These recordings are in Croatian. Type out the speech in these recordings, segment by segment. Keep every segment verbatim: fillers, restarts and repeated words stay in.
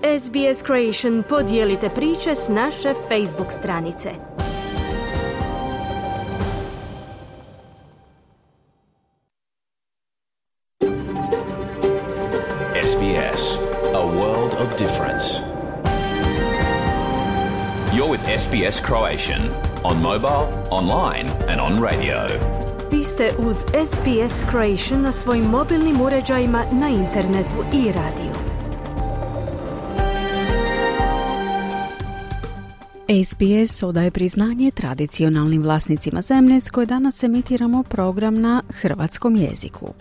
S B S Creation podijelite priče s naše Facebook stranice. S B S, a world of difference. You're with S B S Croatian on mobile, online and on radio. Vi ste uz S B S Croatian na svojim mobilnim uređajima, na internetu i radiju. S B S odaje priznanje tradicionalnim vlasnicima zemlje s koje danas emitiramo program na hrvatskom jeziku.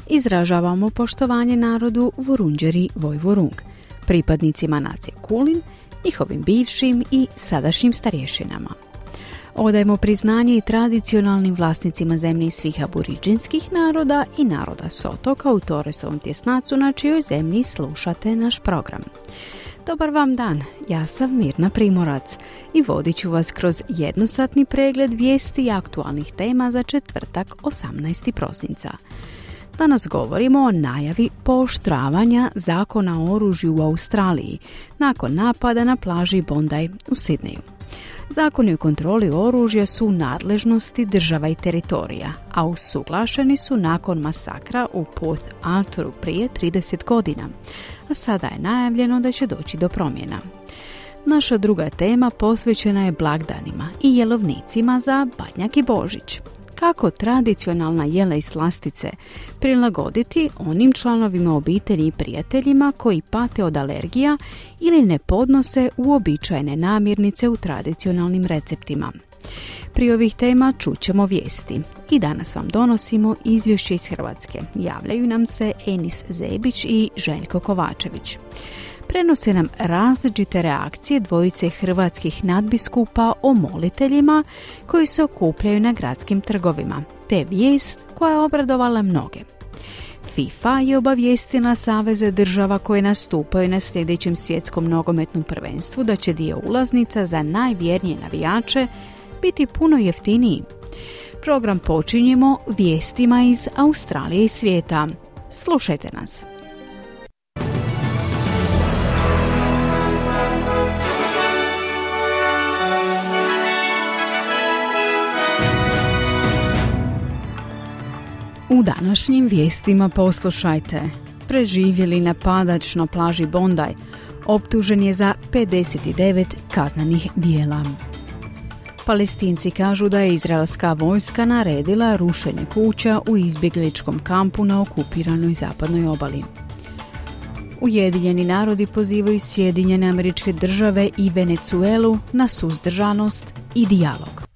Izražavamo poštovanje narodu Vurundjeri Vojvorung, pripadnicima nacije Kulin, njihovim bivšim i sadašnjim starješinama. Odajemo priznanje i tradicionalnim vlasnicima zemlje svih aboriđinskih naroda i naroda s otoka u Torresovom tjesnacu na čijoj zemlji slušate naš program. Dobar vam dan, ja sam Mirna Primorac i vodit ću vas kroz jednosatni pregled vijesti i aktualnih tema za četvrtak osamnaestog prosinca. Danas govorimo o najavi pooštravanja zakona o oružju u Australiji nakon napada na plaži Bondi u Sidneju. Zakoni o kontroli oružja su u nadležnosti država i teritorija, a usuglašeni su nakon masakra u Port Arthuru prije trideset godina, a sada je najavljeno da će doći do promjena. Naša druga tema posvećena je blagdanima i jelovnicima za Badnjak i Božić. Kako tradicionalna jela i slastice prilagoditi onim članovima obitelji i prijateljima koji pate od alergija ili ne podnose uobičajene namirnice u tradicionalnim receptima. Prije ovih tema čućemo vijesti i danas vam donosimo izvješće iz Hrvatske. Javljaju nam se Enis Zebić i Željko Kovačević. Prenose nam različite reakcije dvojice hrvatskih nadbiskupa o moliteljima koji se okupljaju na gradskim trgovima, te vijest koja je obradovala mnoge. FIFA je obavijestila saveze država koje nastupaju na sljedećem svjetskom nogometnom prvenstvu da će dio ulaznica za najvjernije navijače biti puno jeftiniji. Program počinjemo vijestima iz Australije i svijeta. Slušajte nas. U današnjim vijestima poslušajte. Preživjeli napadač na plaži Bondi optužen je za pedeset devet kaznenih djela. Palestinci kažu da je izraelska vojska naredila rušenje kuća u izbjegličkom kampu na okupiranoj zapadnoj obali. Ujedinjeni narodi pozivaju Sjedinjene Američke Države i Venezuelu na suzdržanost i dijalog.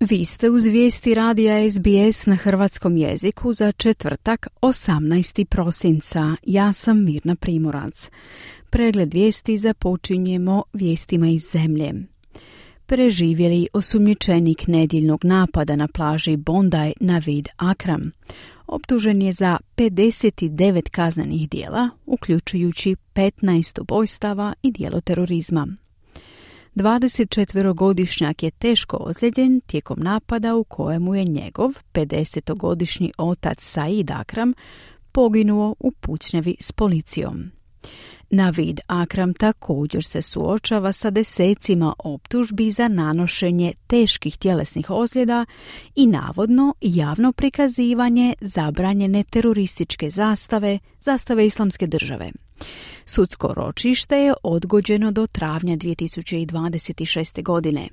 Vi ste uz vijesti radija S B S na hrvatskom jeziku za četvrtak osamnaestog prosinca. Ja sam Mirna Primorac. Pregled vijesti započinjemo vijestima iz zemlje. Preživjeli osumnjičenik nedjeljnog napada na plaži Bondi Navid Akram optužen je za pedeset devet kaznenih djela, uključujući petnaest ubojstava i djelo terorizma. dvadesetčetverogodišnjak je teško ozlijeđen tijekom napada u kojemu je njegov pedesetogodišnji otac Said Akram poginuo u pucnjavi s policijom. Navid Akram također se suočava sa desecima optužbi za nanošenje teških tjelesnih ozljeda i navodno javno prikazivanje zabranjene terorističke zastave, zastave Islamske države. Sudsko ročište je odgođeno do travnja dvije tisuće dvadeset šeste. godine.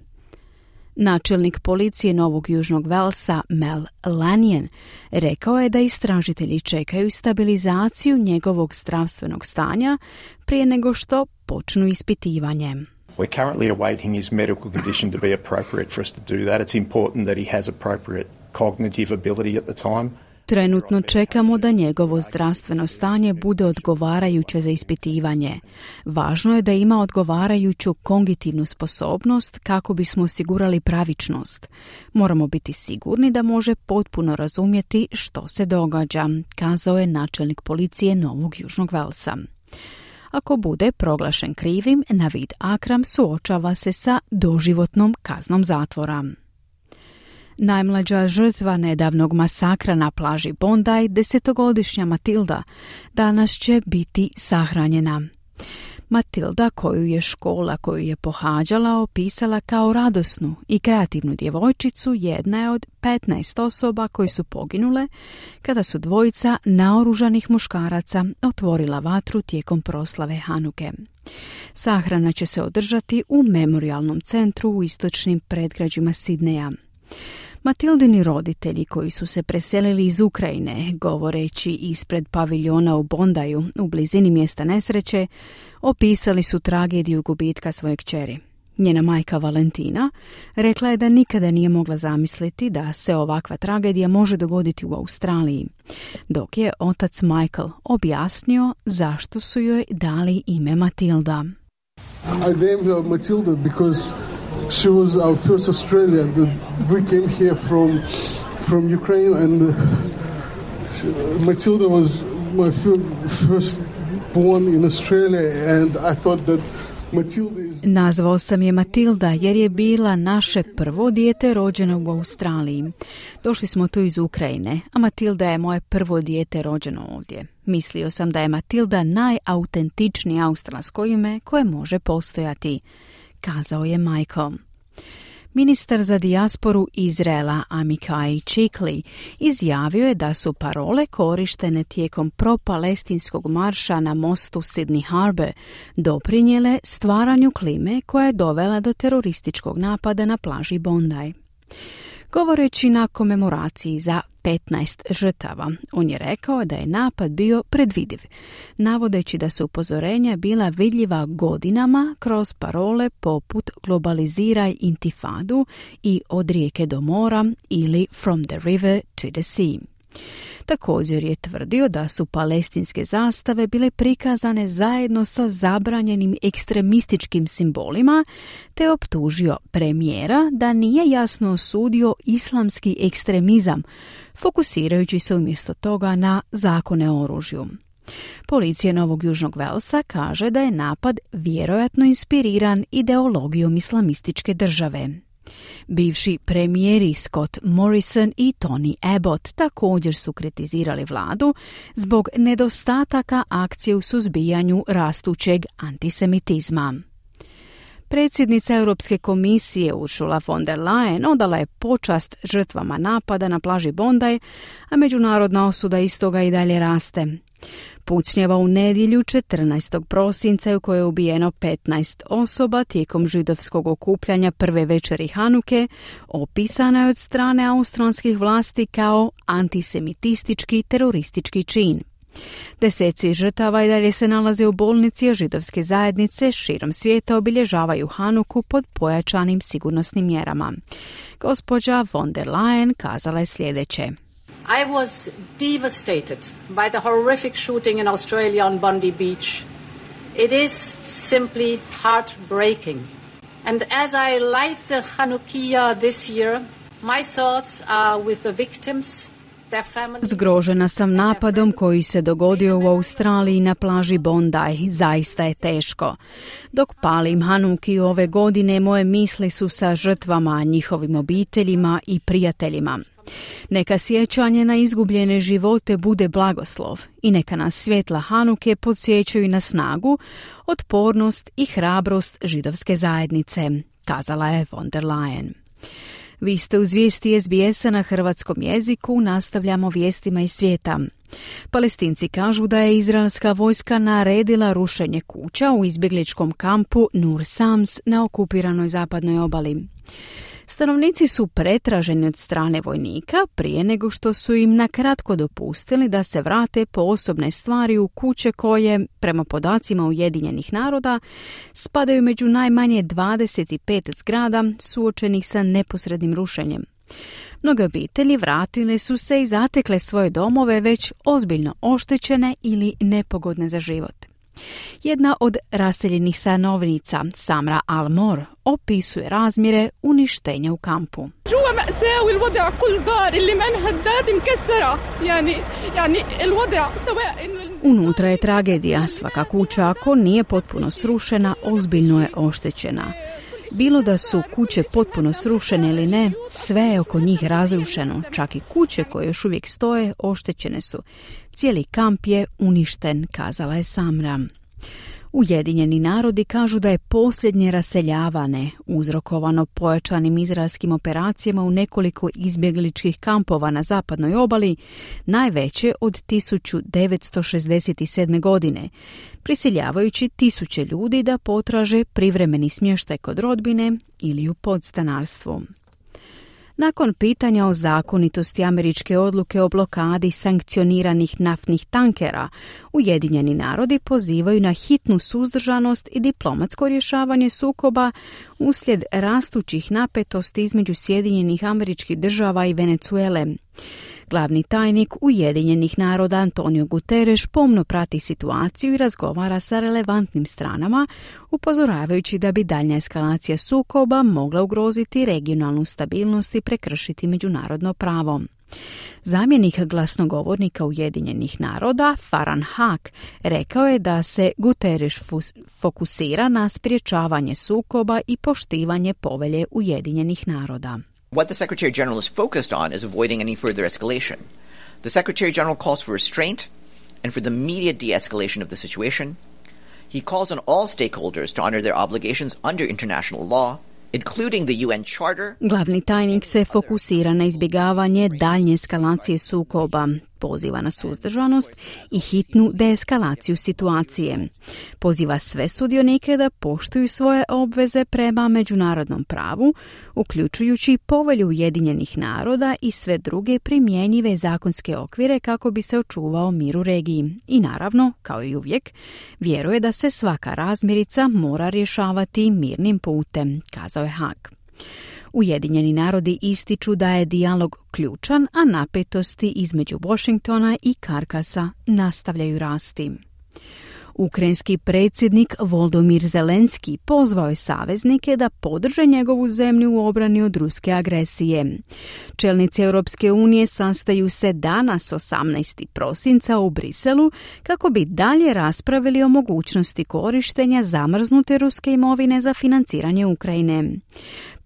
Načelnik policije Novog Južnog Velsa Mel Lanien rekao je da istražitelji čekaju stabilizaciju njegovog zdravstvenog stanja prije nego što počnu ispitivanje. We're currently awaiting his medical condition to be appropriate for us to do that. It's important that he has appropriate cognitive ability at the time. Trenutno čekamo da njegovo zdravstveno stanje bude odgovarajuće za ispitivanje. Važno je da ima odgovarajuću kognitivnu sposobnost kako bismo osigurali pravičnost. Moramo biti sigurni da može potpuno razumjeti što se događa, kazao je načelnik policije Novog Južnog Velsa. Ako bude proglašen krivim, Navid Akram suočava se sa doživotnom kaznom zatvora. Najmlađa žrtva nedavnog masakra na plaži Bondi, desetogodišnja Matilda, danas će biti sahranjena. Matilda, koju je škola koju je pohađala opisala kao radosnu i kreativnu djevojčicu, jedna je od petnaest osoba koji su poginule kada su dvojica naoružanih muškaraca otvorila vatru tijekom proslave Hanuke. Sahrana će se održati u memorijalnom centru u istočnim predgrađima Sidneja. Matildini roditelji koji su se preselili iz Ukrajine, govoreći ispred paviljona u Bondaju u blizini mjesta nesreće, opisali su tragediju gubitka svoje kćeri. Njena majka Valentina rekla je da nikada nije mogla zamisliti da se ovakva tragedija može dogoditi u Australiji, dok je otac Michael objasnio zašto su joj dali ime Matilda. I named her Matilda because she was our first Australian. We came here from from Ukraine, and uh, Matilda was my first born in Australia, and I thought that Matilda is... Nazvao sam je Matilda jer je bila naše prvo dijete rođeno u Australiji. Došli smo tu iz Ukrajine, a Matilda je moje prvo dijete rođeno ovdje. Mislio sam da je Matilda najautentičnije australsko ime koje može postojati, kazao je Michael. Ministar za dijasporu Izraela Amichai Chikli izjavio je da su parole korištene tijekom pro-palestinskog marša na mostu Sydney Harbour doprinijele stvaranju klime koja je dovela do terorističkog napada na plaži Bondi. Govoreći na komemoraciji za petnaest žrtava, on je rekao da je napad bio predvidiv, navodeći da su upozorenja bila vidljiva godinama kroz parole poput globaliziraj intifadu i od rijeke do mora ili from the river to the sea. Također je tvrdio da su palestinske zastave bile prikazane zajedno sa zabranjenim ekstremističkim simbolima, te optužio premijera da nije jasno osudio islamski ekstremizam, fokusirajući se umjesto toga na zakone o oružju. Policija Novog Južnog Velsa kaže da je napad vjerojatno inspiriran ideologijom islamističke države. Bivši premijeri Scott Morrison i Tony Abbott također su kritizirali vladu zbog nedostataka akcije u suzbijanju rastućeg antisemitizma. Predsjednica Europske komisije Ursula von der Leyen odala je počast žrtvama napada na plaži Bondi, a međunarodna osuda istoga i dalje raste. Pucnjava u nedjelju četrnaestog prosinca u kojoj je ubijeno petnaest osoba tijekom židovskog okupljanja prve večeri Hanuke opisana je od strane australskih vlasti kao antisemitistički teroristički čin. Deseci žrtava i dalje se nalaze u bolnici, a židovske zajednice širom svijeta obilježavaju Hanuku pod pojačanim sigurnosnim mjerama. Gospođa von der Leyen kazala je sljedeće. I was devastated by the horrific shooting in Australia on Bondi Beach. It is simply heartbreaking. And as I light the Hanukkah this year, my thoughts are with the victims. Zgrožena sam napadom koji se dogodio u Australiji na plaži Bondi. Zaista je teško. Dok palim Hanukiju ove godine, moje misli su sa žrtvama, njihovim obiteljima i prijateljima. Neka sjećanje na izgubljene živote bude blagoslov i neka nas svjetla Hanuke podsjećaju na snagu, otpornost i hrabrost židovske zajednice, kazala je von der Leyen. Vi ste uz vijesti S B S-a na hrvatskom jeziku, nastavljamo vijestima iz svijeta. Palestinci kažu da je izraelska vojska naredila rušenje kuća u izbjegličkom kampu Nur Sams na okupiranoj zapadnoj obali. Stanovnici su pretraženi od strane vojnika prije nego što su im nakratko dopustili da se vrate po osobne stvari u kuće koje, prema podacima Ujedinjenih naroda, spadaju među najmanje dvadeset pet zgrada suočenih sa neposrednim rušenjem. Mnoge obitelji vratile su se i zatekle svoje domove već ozbiljno oštećene ili nepogodne za život. Jedna od raseljenih stanovnica, Samra Almor, opisuje razmjere uništenja u kampu. Unutra je tragedija. Svaka kuća, ako nije potpuno srušena, ozbiljno je oštećena. Bilo da su kuće potpuno srušene ili ne, sve je oko njih razrušeno. Čak i kuće koje još uvijek stoje oštećene su. Cijeli kamp je uništen, kazala je Samra. Ujedinjeni narodi kažu da je posljednje raseljavane uzrokovano pojačanim izraelskim operacijama u nekoliko izbjegličkih kampova na zapadnoj obali, najveće od tisuću devetsto šezdeset sedme. godine, prisiljavajući tisuće ljudi da potraže privremeni smještaj kod rodbine ili u podstanarstvu. Nakon pitanja o zakonitosti američke odluke o blokadi sankcioniranih naftnih tankera, Ujedinjeni narodi pozivaju na hitnu suzdržanost i diplomatsko rješavanje sukoba uslijed rastućih napetosti između Sjedinjenih Američkih Država i Venezuele. Glavni tajnik Ujedinjenih naroda Antonio Guterres pomno prati situaciju i razgovara sa relevantnim stranama, upozoravajući da bi daljnja eskalacija sukoba mogla ugroziti regionalnu stabilnost i prekršiti međunarodno pravo. Zamjenik glasnogovornika Ujedinjenih naroda, Farhan Haq, rekao je da se Guterres fokusira na sprječavanje sukoba i poštivanje povelje Ujedinjenih naroda. What the Secretary General is focused on is avoiding any further escalation. The Secretary General calls for restraint and for the immediate de-escalation of the situation. He calls on all stakeholders to honor their obligations under international law, including the U N Charter. Glavni tajnik se fokusira na izbjegavanje daljnje eskalacije sukoba, poziva na suzdržanost i hitnu deeskalaciju situacije. Poziva sve sudionike da poštuju svoje obveze prema međunarodnom pravu, uključujući povelju Ujedinjenih naroda i sve druge primjenjive zakonske okvire kako bi se očuvao mir u regiji. I naravno, kao i uvijek, vjeruje da se svaka razmirica mora rješavati mirnim putem, kazao je Haag. Ujedinjeni narodi ističu da je dijalog ključan, a napetosti između Washingtona i Karkasa nastavljaju rasti. Ukrajinski predsjednik Volodymyr Zelenski pozvao je saveznike da podrže njegovu zemlju u obrani od ruske agresije. Čelnici Europske unije sastaju se danas osamnaestog prosinca u Briselu kako bi dalje raspravili o mogućnosti korištenja zamrznute ruske imovine za financiranje Ukrajine.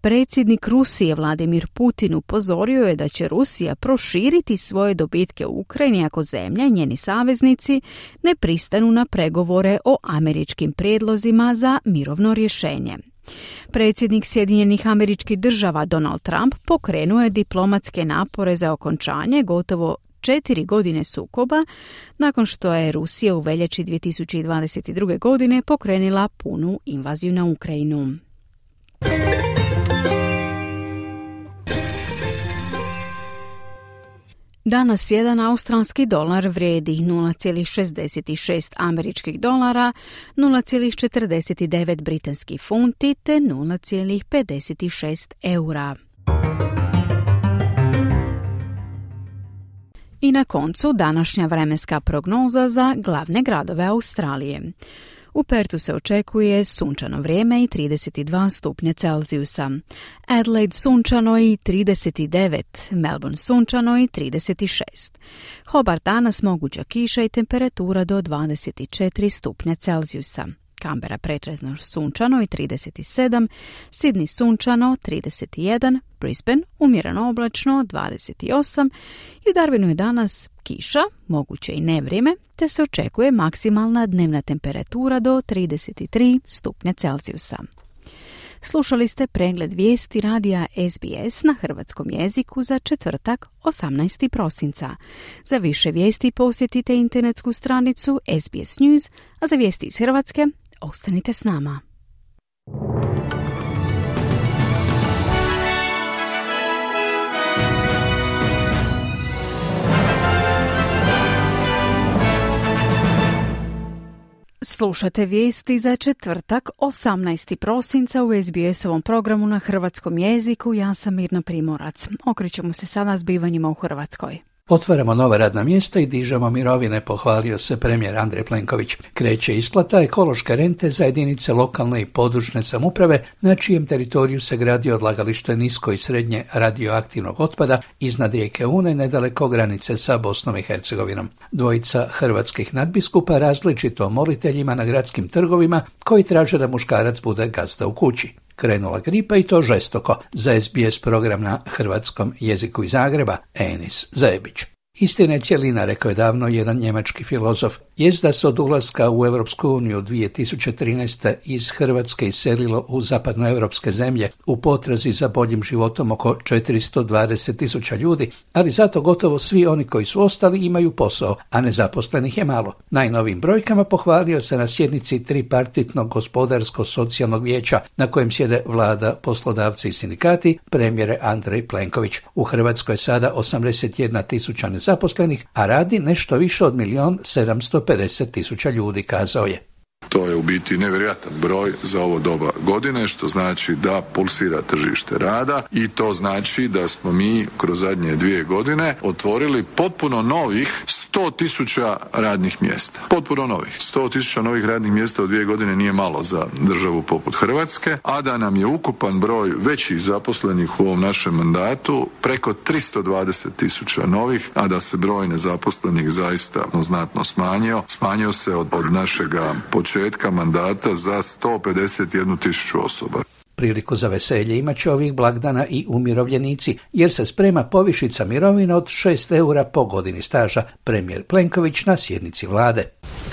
Predsjednik Rusije Vladimir Putin upozorio je da će Rusija proširiti svoje dobitke u Ukrajini ako zemlja i njeni saveznici ne pristanu na pregovore o američkim prijedlozima za mirovno rješenje. Predsjednik Sjedinjenih Američkih Država Donald Trump pokrenuo je diplomatske napore za okončanje gotovo četiri godine sukoba nakon što je Rusija u veljači dvije tisuće dvadeset druge. godine pokrenula punu invaziju na Ukrajinu. Danas jedan australski dolar vrijedi nula zarez šezdeset šest američkih dolara, nula zarez četrdeset devet britanskih funti te nula zarez pedeset šest eura. I na koncu današnja vremenska prognoza za glavne gradove Australije. U Pertu se očekuje sunčano vrijeme i trideset dva stupnja Celzijusa. Adelaide sunčano i trideset devet, Melbourne sunčano i trideset šest. Hobart danas moguća kiša i temperatura do dvadeset četiri stupnja Celzijusa. Canberra pretežno sunčano i trideset sedam, Sydney sunčano trideset jedan, Brisbane umjereno oblačno dvadeset osam i u Darwinu je danas kiša, moguće i nevrijeme, te se očekuje maksimalna dnevna temperatura do trideset tri stupnja Celzijusa. Slušali ste pregled vijesti radija S B S na hrvatskom jeziku za četvrtak osamnaestog prosinca. Za više vijesti posjetite internetsku stranicu S B S News, a za vijesti iz Hrvatske ostanite s nama. Slušate vijesti za četvrtak osamnaestog prosinca u S B S-ovom programu na hrvatskom jeziku. Ja sam Mirna Primorac. Okrećemo se sada zbivanjima u Hrvatskoj. Otvaramo nova radna mjesta i dižemo mirovine, pohvalio se premijer Andrej Plenković. Kreće isplata ekološke rente za jedinice lokalne i područne samouprave na čijem teritoriju se gradi odlagalište nisko i srednje radioaktivnog otpada iznad rijeke Une nedaleko granice sa Bosnom i Hercegovinom. Dvojica hrvatskih nadbiskupa različito moliteljima na gradskim trgovima koji traže da muškarac bude gazda u kući. krenula gripa i to žestoko. Za S B S program na hrvatskom jeziku iz Zagreba, Enis Zebić. Istina je cjelina, rekao je davno jedan njemački filozof. Jest da se od ulaska u Europsku uniju dvije tisuće trinaeste. iz Hrvatske iselilo u zapadnoevropske zemlje u potrazi za boljim životom oko četiristo dvadeset tisuća ljudi, ali zato gotovo svi oni koji su ostali imaju posao, a nezaposlenih je malo. Najnovim brojkama pohvalio se na sjednici tripartitnog gospodarsko-socijalnog vijeća na kojem sjede vlada, poslodavci i sindikati, premijer Andrej Plenković. U Hrvatskoj je sada osamdeset jedna tisuća nezaposlenih, a radi nešto više od milion sedamsto pedeset tisuća ljudi, kazao je. To je u biti nevjerojatan broj za ovo doba godine, što znači da pulsira tržište rada i to znači da smo mi kroz zadnje dvije godine otvorili potpuno novih sto tisuća radnih mjesta. Potpuno novih. sto tisuća novih radnih mjesta u dvije godine nije malo za državu poput Hrvatske, a da nam je ukupan broj većih zaposlenih u ovom našem mandatu preko tristo dvadeset tisuća novih, a da se broj nezaposlenih zaista znatno smanjio. Smanjio se od, od našega početka mandata za sto pedeset jednu tisuću osoba. Priliku za veselje imat će ovih blagdana i umirovljenici, jer se sprema povišica mirovina od šest eura po godini staža, premijer Plenković na sjednici vlade.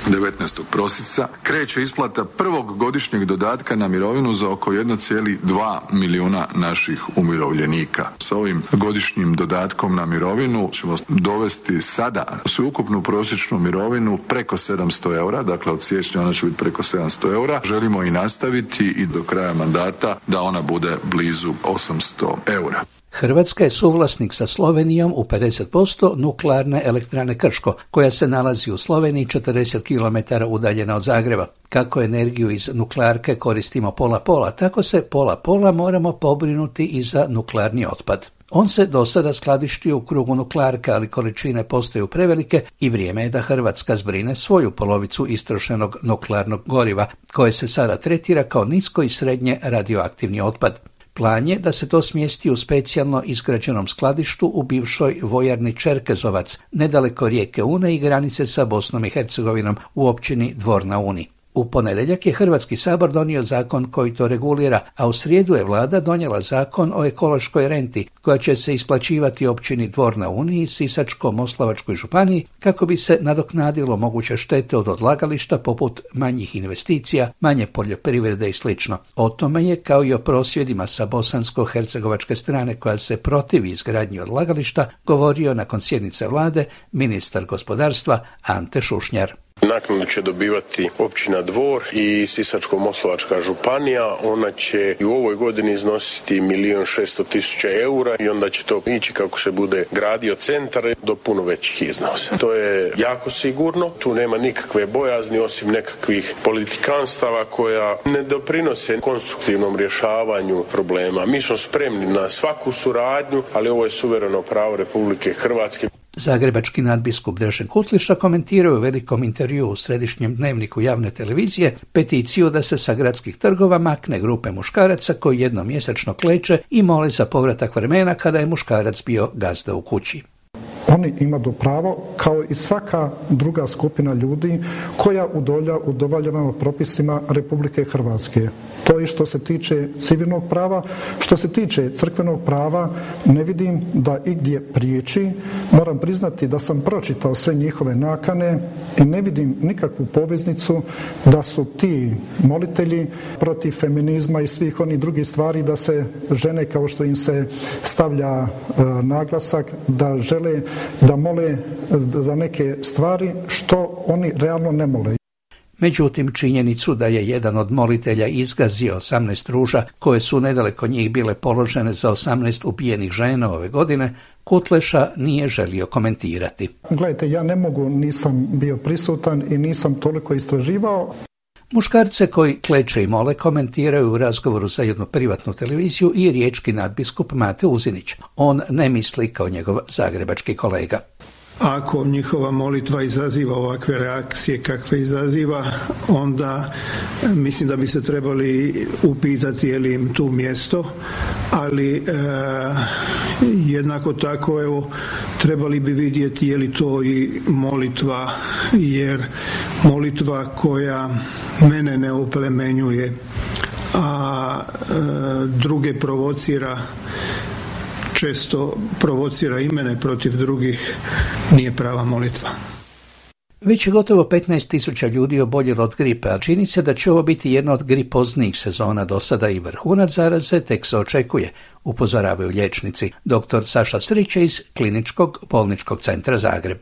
devetnaestog prosinca kreće isplata prvog godišnjeg dodatka na mirovinu za oko jedan zarez dva milijuna naših umirovljenika. Sa ovim godišnjim dodatkom na mirovinu ćemo dovesti sada sveukupnu prosječnu mirovinu preko sedamsto eura, dakle od siječnja ona će biti preko sedamsto eura. Želimo i nastaviti i do kraja mandata da ona bude blizu osamsto eura. Hrvatska je suvlasnik sa Slovenijom u pedeset posto nuklearne elektrane Krško, koja se nalazi u Sloveniji četrdeset kilometara udaljena od Zagreba. Kako energiju iz nuklearke koristimo pola-pola, tako se pola-pola moramo pobrinuti i za nuklearni otpad. On se do sada skladištio u krugu nuklearke, ali količine postaju prevelike i vrijeme je da Hrvatska zbrine svoju polovicu istrošenog nuklearnog goriva, koje se sada tretira kao nisko i srednje radioaktivni otpad. Plan je da se to smjesti u specijalno izgrađenom skladištu u bivšoj vojarni Čerkezovac, nedaleko rijeke Une i granice sa Bosnom i Hercegovinom u općini Dvor na Uni. U ponedjeljak je Hrvatski sabor donio zakon koji to regulira, a u srijedu je vlada donijela zakon o ekološkoj renti, koja će se isplaćivati općini Dvor na Uni i Sisačko-moslavačkoj županiji kako bi se nadoknadilo moguće štete od odlagališta poput manjih investicija, manje poljoprivrede i sl. O tome je, kao i o prosvjedima sa bosansko-hercegovačke strane koja se protivi izgradnji odlagališta, govorio nakon sjednice vlade ministar gospodarstva Ante Šušnjar. Naknadu će dobivati općina Dvor i Sisačko-moslavačka županija. Ona će i u ovoj godini iznositi milijun šesto tisuća eura i onda će to ići kako se bude gradio centar do puno većih iznosa. To je jako sigurno. Tu nema nikakve bojazni osim nekakvih politikanstava koja ne doprinose konstruktivnom rješavanju problema. Mi smo spremni na svaku suradnju, ali ovo je suvereno pravo Republike Hrvatske. Zagrebački nadbiskup Dražen Kutliša komentirao u velikom intervjuu u središnjem dnevniku javne televizije peticiju da se sa gradskih trgova makne grupe muškaraca koji jednom mjesečno kleče i mole za povratak vremena kada je muškarac bio gazda u kući. Oni imaju pravo, kao i svaka druga skupina ljudi koja udovoljava propisima Republike Hrvatske. To je što se tiče civilnog prava. Što se tiče crkvenog prava, ne vidim da igdje priječi. Moram priznati da sam pročitao sve njihove nakane i ne vidim nikakvu poveznicu da su ti molitelji protiv feminizma i svih onih drugih stvari, da se žene, kao što im se stavlja e, naglasak, da žele da mole za neke stvari što oni realno ne mole. Međutim, činjenicu da je jedan od molitelja izgazio osamnaest ruža koje su nedaleko njih bile položene za osamnaest ubijenih žena ove godine, Kutleša nije želio komentirati. Gledajte, ja ne mogu, nisam bio prisutan i nisam toliko istraživao. Muškarce koji kleče i mole komentiraju u razgovoru za jednu privatnu televiziju i riječki nadbiskup Mate Uzinić. On ne misli kao njegov zagrebački kolega. Ako njihova molitva izaziva ovakve reakcije kakve izaziva, onda mislim da bi se trebali upitati je li im tu mjesto, ali e, jednako tako evo, trebali bi vidjeti je li to i molitva, jer molitva koja mene ne oplemenjuje, a e, druge provocira, često provocira i mene protiv drugih, nije prava molitva. Već je gotovo petnaest tisuća ljudi oboljelo od gripe, a čini se da će ovo biti jedna od gripoznijih sezona do sada i vrhunac zaraze tek se očekuje, upozoravaju liječnici. Doktor Saša Srić iz Kliničkog bolničkog centra Zagreb.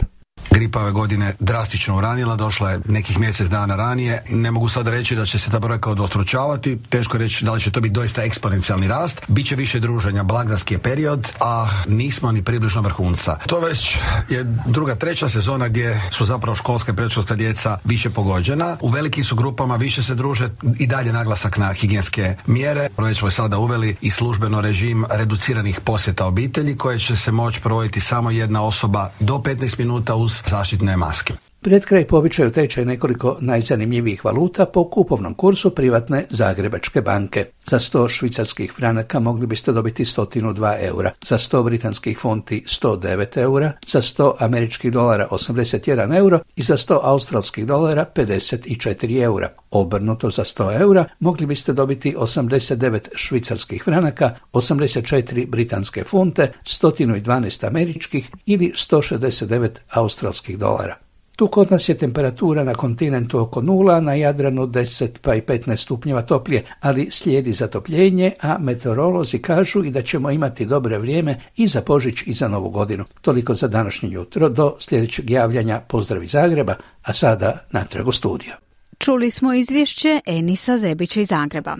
Gripa ove godine drastično uranila, došla je nekih mjesec dana ranije. Ne mogu sada reći da će se ta brojka udvostručavati, teško je reći da li će to biti doista eksponencijalni rast. Biće više druženja, blagdanski je period, a nismo ni približno vrhunca. To već je druga, treća sezona gdje su zapravo školska i predškolska djeca više pogođena. U velikim su grupama, više se druže, i dalje naglasak na higijenske mjere. Već smo sada uveli i službeno režim reduciranih posjeta obitelji koje će se moći provoditi samo jedna osoba do petnaest minuta uz zaštitne maske. Pred kraj po običaju tečaj nekoliko najzanimljivijih valuta po kupovnom kursu privatne Zagrebačke banke. Za sto švicarskih franaka mogli biste dobiti sto dva eura, za sto britanskih funti sto devet eura, za sto američkih dolara osamdeset jedan euro i za sto australskih dolara pedeset četiri eura. Obrnuto, za sto eura mogli biste dobiti osamdeset devet švicarskih franaka, osamdeset četiri britanske funte, sto dvanaest američkih ili sto šezdeset devet australskih dolara. Tu kod nas je temperatura na kontinentu oko nula, na Jadranu deset pa i petnaest stupnjeva toplije, ali slijedi zatopljenje, a meteorolozi kažu i da ćemo imati dobre vrijeme i za Božić i za Novu godinu. Toliko za današnje jutro, do sljedećeg javljanja. Pozdrav iz Zagreba, a sada natrag u studio. Čuli smo izvješće Enisa Zebića iz Zagreba.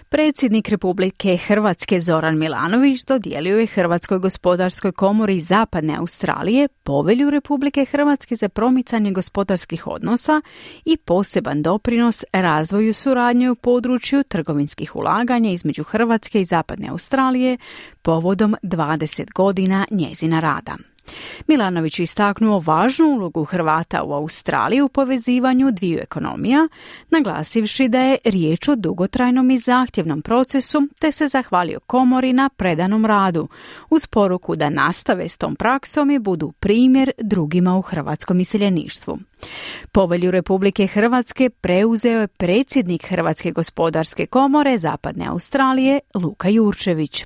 Predsjednik Republike Hrvatske Zoran Milanović dodijelio je Hrvatskoj gospodarskoj komori Zapadne Australije povelju Republike Hrvatske za promicanje gospodarskih odnosa i poseban doprinos razvoju suradnje u području trgovinskih ulaganja između Hrvatske i Zapadne Australije povodom dvadeset godina njezina rada. Milanović je istaknuo važnu ulogu Hrvata u Australiji u povezivanju dviju ekonomija, naglasivši da je riječ o dugotrajnom i zahtjevnom procesu, te se zahvalio komori na predanom radu, uz poruku da nastave s tom praksom i budu primjer drugima u hrvatskom iseljeništvu. Povelju Republike Hrvatske preuzeo je predsjednik Hrvatske gospodarske komore Zapadne Australije Luka Jurčević.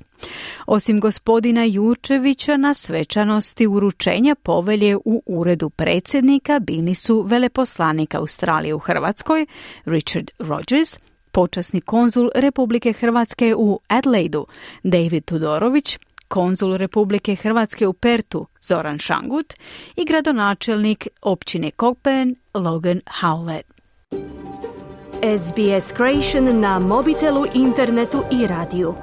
Osim gospodina Jurčevića, na svečanosti uručenja povelje u uredu predsjednika bili su veleposlanik Australije u Hrvatskoj Richard Rogers, počasni konzul Republike Hrvatske u Adelaidu David Tudorović, konzul Republike Hrvatske u Pertu Zoran Šangut i gradonačelnik općine Cockburn Logan Howlett. S B S Creation na mobitelu, internetu i radiju.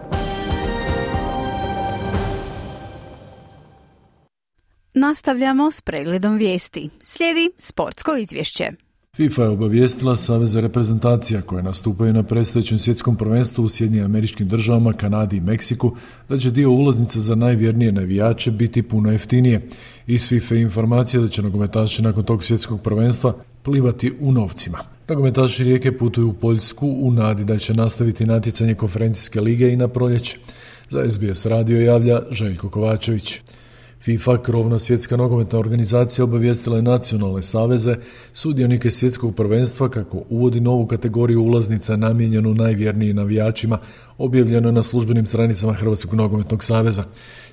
Nastavljamo s pregledom vijesti. Slijedi sportsko izvješće. FIFA je obavijestila saveze reprezentacija koje nastupaju na predstojećem svjetskom prvenstvu u Sjedinjenim Američkim Državama, Kanadi i Meksiku da će dio ulaznica za najvjernije navijače biti puno jeftinije. Iz FIFA informacija da će nogometaši nakon tog svjetskog prvenstva plivati u novcima. Nogometaši Rijeke putuju u Poljsku u nadi da će nastaviti natjecanje konferencijske lige i na proljeće. Za S B S radio javlja Željko Kovačević. FIFA, krovna svjetska nogometna organizacija, obavijestila je nacionalne saveze, sudionike svjetskog prvenstva kako uvodi novu kategoriju ulaznica namijenjenu najvjernijim navijačima, objavljeno na službenim stranicama Hrvatskog nogometnog saveza.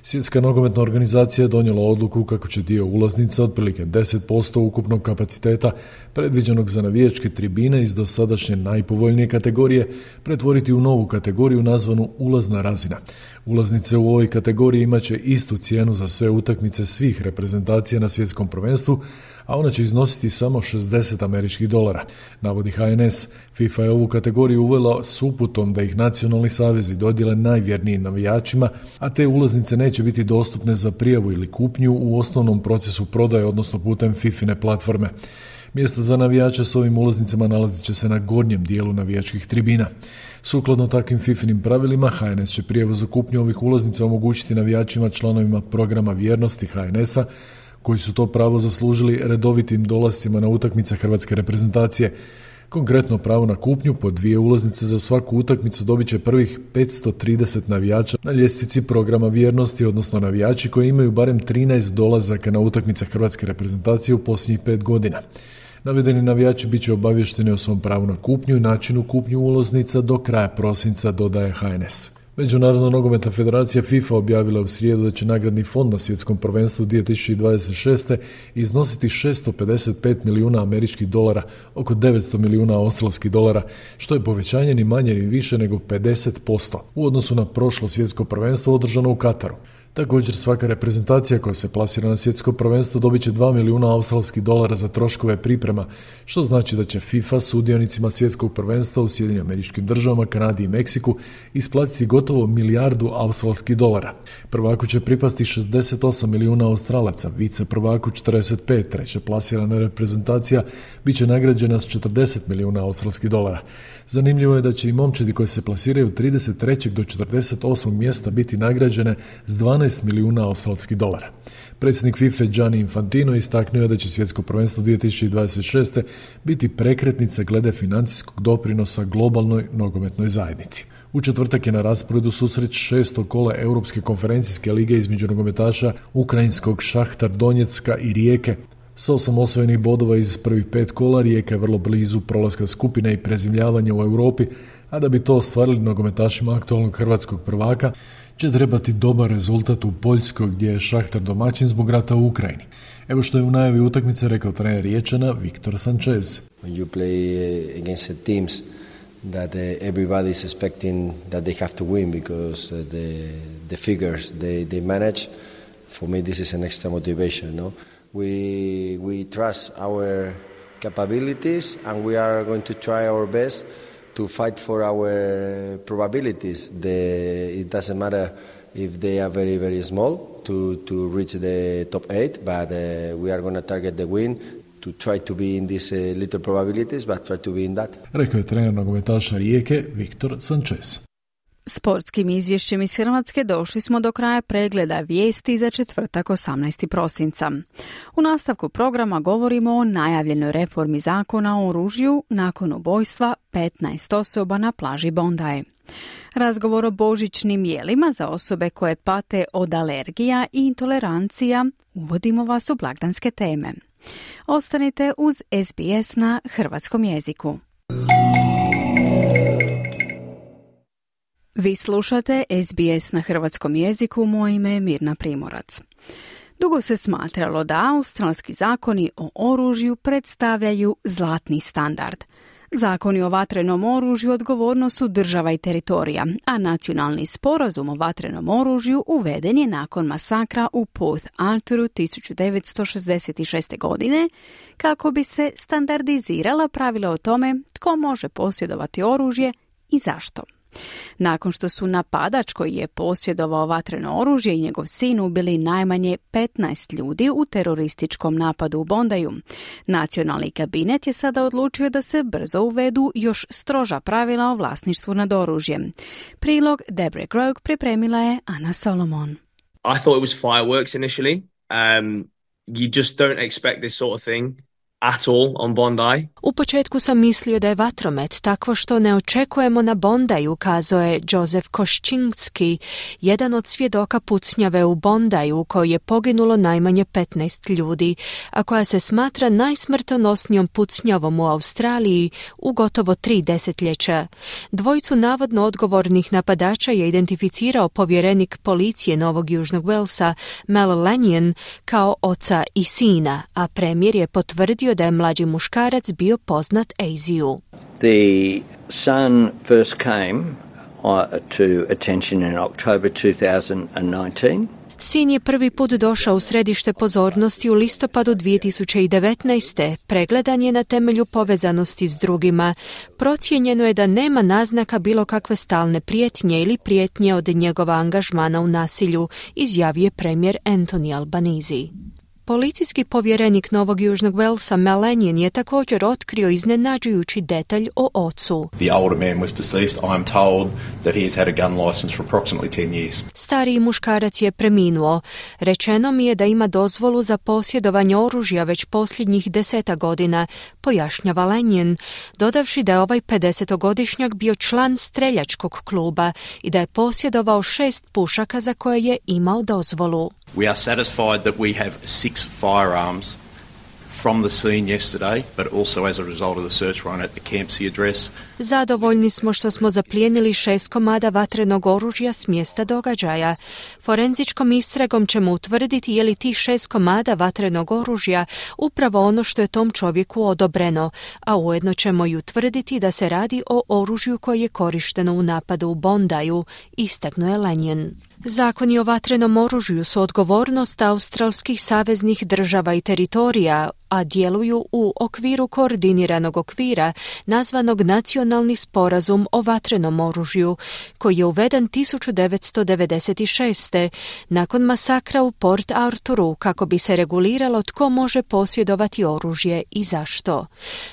Svjetska nogometna organizacija je donijela odluku kako će dio ulaznica, otprilike deset posto ukupnog kapaciteta predviđenog za navijačke tribine iz dosadašnje najpovoljnije kategorije, pretvoriti u novu kategoriju nazvanu ulazna razina. Ulaznice u ovoj kategoriji imat će istu cijenu za sve utakmice svih reprezentacija na svjetskom prvenstvu, a ona će iznositi samo šezdeset američkih dolara, navodi H N S. FIFA je ovu kategoriju uvela s uputom da ih nacionalni savezi dodijele najvjernijim navijačima, a te ulaznice neće biti dostupne za prijavu ili kupnju u osnovnom procesu prodaje, odnosno putem FIFIne platforme. Mjesta za navijače s ovim ulaznicama nalazit će se na gornjem dijelu navijačkih tribina. Sukladno takvim FIFInim pravilima, H N S će prijavu za kupnju ovih ulaznica omogućiti navijačima članovima programa vjernosti H N S-a, koji su to pravo zaslužili redovitim dolascima na utakmice hrvatske reprezentacije. Konkretno pravo na kupnju po dvije ulaznice za svaku utakmicu dobit će prvih petsto trideset navijača na ljestvici programa vjernosti, odnosno navijači koji imaju barem trinaest dolazaka na utakmice hrvatske reprezentacije u posljednjih pet godina. Navedeni navijači bit će obavješteni o svom pravu na kupnju i načinu kupnju ulaznica do kraja prosinca, dodaje H N S. Međunarodna nogometna federacija FIFA objavila u srijedu da će nagradni fond na svjetskom prvenstvu dvije tisuće dvadeset šeste. iznositi šesto pedeset pet milijuna američkih dolara, oko devetsto milijuna australskih dolara, što je povećanje ni manje ni više nego pedeset posto u odnosu na prošlo svjetsko prvenstvo održano u Kataru. Također svaka reprezentacija koja se plasira na svjetsko prvenstvo dobit će dva milijuna australskih dolara za troškove priprema, što znači da će FIFA sudionicima svjetskog prvenstva u Sjedinjenim Američkim Državama, Kanadi i Meksiku isplatiti gotovo milijardu australskih dolara. Prvaku će pripasti šezdeset osam milijuna Australaca, vice prvaku četrdeset pet, treća plasirana reprezentacija bit će nagrađena s četrdeset milijuna australskih dolara. Zanimljivo je da će i momčadi koji se plasiraju od trideset trećeg do četrdeset osmog mjesta biti nagrađene s dvanaest milijuna australskih dolara. Predsjednik FIFA Gianni Infantino istaknuo je da će svjetsko prvenstvo dvije tisuće dvadeset šeste. biti prekretnica glede financijskog doprinosa globalnoj nogometnoj zajednici. U četvrtak je na rasporedu susret šestog kola Europske konferencijske lige između nogometaša ukrajinskog Šahtar Donjecka i Rijeke. S osam osvojenih bodova iz prvih pet kola Rijeka je vrlo blizu prolaska skupine i prezimljavanja u Europi, a da bi to ostvarili nogometašima aktualnog hrvatskog prvaka će trebati dobar rezultat u Poljskoj gdje je Šahtar domaćin zbog rata u Ukrajini. Evo što je u najavi utakmice rekao trener Riječana Viktor Sanchez. When you play against teams that everybody is expecting that they have to win because the the figures they they manage, for me this is an extra motivation, no? We we trust our capabilities and we are going to try our best to fight for our probabilities. The, it doesn't matter if they are very, very small to, to reach the top eight, but uh, we are going to target the win to try to be in these uh, little probabilities, but try to be in that. Rekao je trener nogometaša Rijeke Viktor Sanchez. Sportskim izvješćem iz Hrvatske došli smo do kraja pregleda vijesti za četvrtak osamnaestog prosinca. U nastavku programa govorimo o najavljenoj reformi zakona o oružju nakon ubojstva petnaest osoba na plaži Bondi. Razgovor o božićnim jelima za osobe koje pate od alergija i intolerancija uvodimo vas u blagdanske teme. Ostanite uz S B S na hrvatskom jeziku. Vi slušate S B S na hrvatskom jeziku, moje ime je Mirna Primorac. Dugo se smatralo da australski zakoni o oružju predstavljaju zlatni standard. Zakoni o vatrenom oružju odgovornost su država i teritorija, a nacionalni sporazum o vatrenom oružju uveden je nakon masakra u Port Arthuru tisuću devetsto šezdeset šeste. godine kako bi se standardizirala pravila o tome tko može posjedovati oružje i zašto. Nakon što su napadač koji je posjedovao vatreno oružje i njegov sin ubili najmanje petnaest ljudi u terorističkom napadu u Bondiju, nacionalni kabinet je sada odlučio da se brzo uvedu još stroža pravila o vlasništvu nad oružjem. Prilog Deborah Grogue pripremila je Ana Solomon. I thought it was fireworks initially. Um, you just don't expect this sort of thing at all on Bondi. U početku sam mislio da je vatromet takvo što ne očekujemo na Bondiju, kazao je Joseph Koščinski, jedan od svjedoka pucnjave u Bondiju u kojoj je poginulo najmanje petnaest ljudi, a koja se smatra najsmrtonosnijom pucnjavom u Australiji u gotovo tri desetljeća. Dvojicu navodno odgovornih napadača je identificirao povjerenik policije Novog Južnog Walesa Mel Lanyon kao oca i sina, a premijer je potvrdio da je mlađi muškarac bio poznat A Z U. The son first came uh, to attention in October two thousand nineteen. Sin je prvi put došao u središte pozornosti u listopadu dvije tisuće devetnaeste. Pregledan je na temelju povezanosti s drugima. Procijenjeno je da nema naznaka bilo kakve stalne prijetnje ili prijetnje od njegova angažmana u nasilju, izjavio je premijer Anthony Albanese. Policijski povjerenik Novog Južnog Walesa Mel Lanyon je također otkrio iznenađujući detalj o ocu. The older man was deceased. I am told that he has had a gun license for approximately ten years. Stariji muškarac je preminuo. Rečeno mi je da ima dozvolu za posjedovanje oružja već posljednjih deseta godina, pojašnjava Lanyon, dodavši da je ovaj pedesetogodišnjak bio član streljačkog kluba i da je posjedovao šest pušaka za koje je imao dozvolu. We are satisfied that we have six firearms from the scene yesterday, but also as a result of the search warrant at the Campsie address. Zadovoljni smo što smo zaplijenili šest komada vatrenog oružja s mjesta događaja. Forenzičkom istragom ćemo utvrditi je li tih šest komada vatrenog oružja upravo ono što je tom čovjeku odobreno, a ujedno ćemo i utvrditi da se radi o oružju koje je korišteno u napadu u Bondaju, istaknuo je Lanyon. Zakoni o vatrenom oružju su odgovornost australskih saveznih država i teritorija, a djeluju u okviru koordiniranog okvira nazvanog Nacionalni sporazum o vatrenom oružju, koji je uveden tisuću devetsto devedeset šeste. nakon masakra u Port Arthuru kako bi se reguliralo tko može posjedovati oružje i zašto.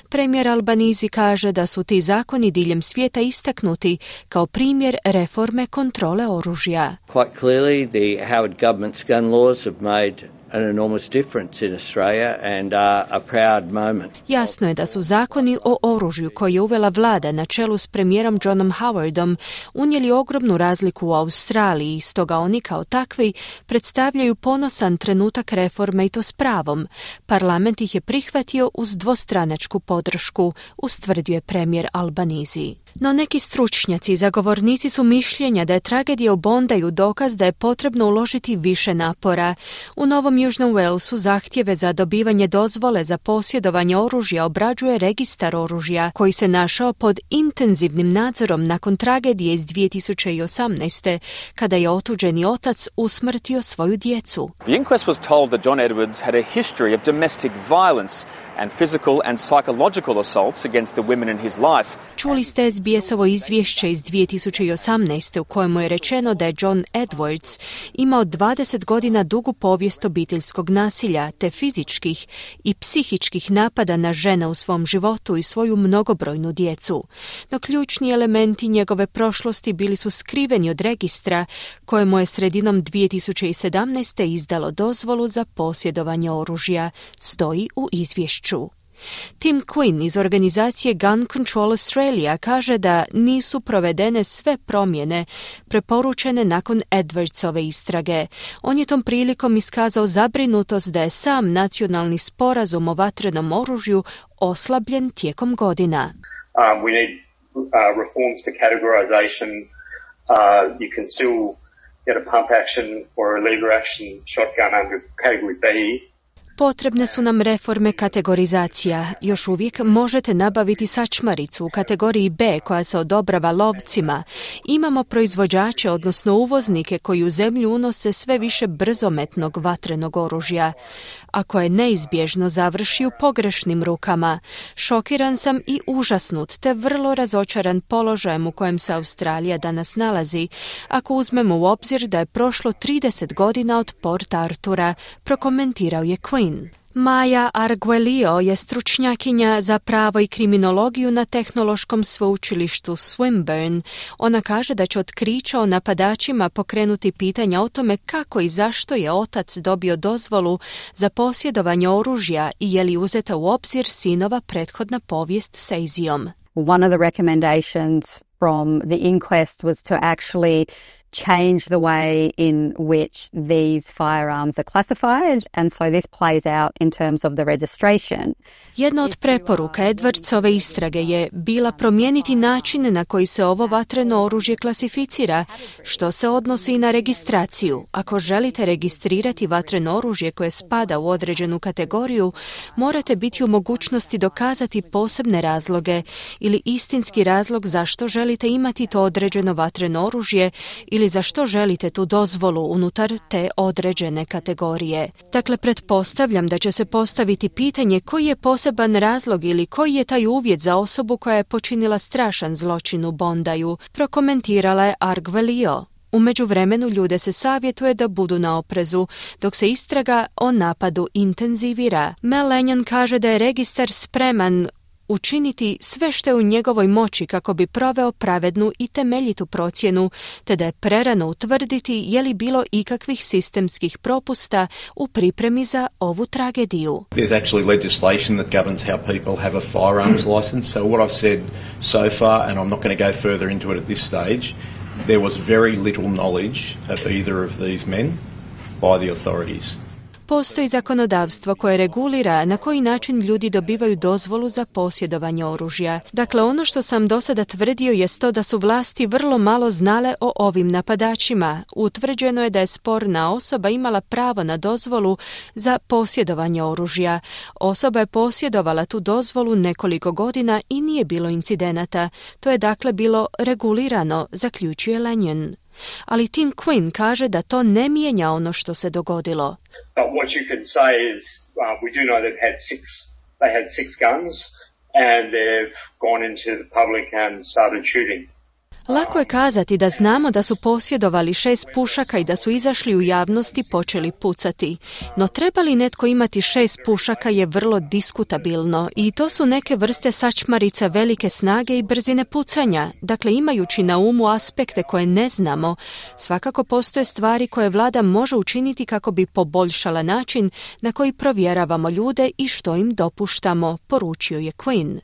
Premijer Albanese kaže da su ti zakoni diljem svijeta istaknuti kao primjer reforme kontrole oružja. Quite clearly, the Howard government's gun laws have made an enormous difference in Australia and are a proud moment. Jasno je da su zakoni o oružju koje je uvela vlada na čelu s premijerom Johnom Howardom unijeli ogromnu razliku u Australiji, stoga oni kao takvi predstavljaju ponosan trenutak reforme i to s pravom. Parlament ih je prihvatio uz dvostranačku podršku, ustvrdio je premijer Albanese. No neki stručnjaci i zagovornici su mišljenja da je tragedija u Bondaju dokaz da je potrebno uložiti više napora. U Novom Južnom Walesu zahtjeve za dobivanje dozvole za posjedovanje oružja obrađuje registar oružja, koji se našao pod intenzivnim nadzorom nakon tragedije iz dvije tisuće osamnaeste. kada je otuđeni otac usmrtio svoju djecu. The inquest was told that John Edwards had a history of domestic violence and physical and psychological assaults against the women in his life. Čuli ste S B S-ovo izvješće iz dvije tisuće osamnaeste. u kojemu je rečeno da je John Edwards imao dvadeset godina dugu povijest obiteljskog nasilja te fizičkih i psihičkih napada na žene u svom životu i svoju mnogobrojnu djecu. No ključni elementi njegove prošlosti bili su skriveni od registra kojemu je sredinom dvije tisuće sedamnaeste. izdalo dozvolu za posjedovanje oružja, stoji u izvješću. Tim Quinn iz organizacije Gun Control Australia kaže da nisu provedene sve promjene preporučene nakon Edwardsove istrage. On je tom prilikom iskazao zabrinutost da je sam nacionalni sporazum o vatrenom oružju oslabljen tijekom godina. Um, we need uh, reforms to categorization. Uh, you can still get a pump action or a lever action shotgun under category B. Potrebne su nam reforme kategorizacija. Još uvijek možete nabaviti sačmaricu u kategoriji B koja se odobrava lovcima. Imamo proizvođače, odnosno uvoznike koji u zemlju unose sve više brzometnog vatrenog oružja, a koje neizbježno završi u pogrešnim rukama. Šokiran sam i užasnut, te vrlo razočaran položajem u kojem se Australija danas nalazi, ako uzmemo u obzir da je prošlo trideset godina od Port Arthura, prokomentirao je Quinn. Maja Arguello je stručnjakinja za pravo i kriminologiju na tehnološkom sveučilištu Swinburne. Ona kaže da će otkrića o napadačima pokrenuti pitanja o tome kako i zašto je otac dobio dozvolu za posjedovanje oružja i je li uzeta u obzir sinova prethodna povijest s Azijom. One of the recommendations from the inquest was to actually change the way in which these firearms are classified, and so this plays out in terms of the registration. Jedna od preporuka Edwardsove istrage je bila promijeniti način na koji se ovo vatreno oružje klasificira, što se odnosi i na registraciju. Ako želite registrirati vatreno oružje koje spada u određenu kategoriju, morate biti u mogućnosti dokazati posebne razloge ili istinski razlog zašto želite imati to određeno vatreno oružje ili za što želite tu dozvolu unutar te određene kategorije. Dakle, pretpostavljam da će se postaviti pitanje koji je poseban razlog ili koji je taj uvjet za osobu koja je počinila strašan zločin u Bondaju, prokomentirala je Arguello. U međuvremenu ljude se savjetuje da budu na oprezu, dok se istraga o napadu intenzivira. Mel Lanyon kaže da je registar spreman učiniti sve što je u njegovoj moći kako bi proveo pravednu i temeljitu procjenu, te da je prerano utvrditi je li bilo ikakvih sistemskih propusta u pripremi za ovu tragediju. There's actually legislation that governs how people have a firearms license. So what I've said so far, and I'm not going to go further into it at this stage, there was very little knowledge of either of these men by the authorities. Postoji zakonodavstvo koje regulira na koji način ljudi dobivaju dozvolu za posjedovanje oružja. Dakle, ono što sam do sada tvrdio jest to da su vlasti vrlo malo znale o ovim napadačima. Utvrđeno je da je sporna osoba imala pravo na dozvolu za posjedovanje oružja. Osoba je posjedovala tu dozvolu nekoliko godina i nije bilo incidenata. To je dakle bilo regulirano, zaključuje Lanyon. Ali Tim Quinn kaže da to ne mijenja ono što se dogodilo. But what you can say is uh, we do know they've had six, they had six guns and they've gone into the public and started shooting. Lako je kazati da znamo da su posjedovali šest pušaka i da su izašli u javnost i počeli pucati. No treba li netko imati šest pušaka je vrlo diskutabilno i to su neke vrste sačmarica velike snage i brzine pucanja. Dakle, imajući na umu aspekte koje ne znamo, svakako postoje stvari koje vlada može učiniti kako bi poboljšala način na koji provjeravamo ljude i što im dopuštamo, poručio je Quinn.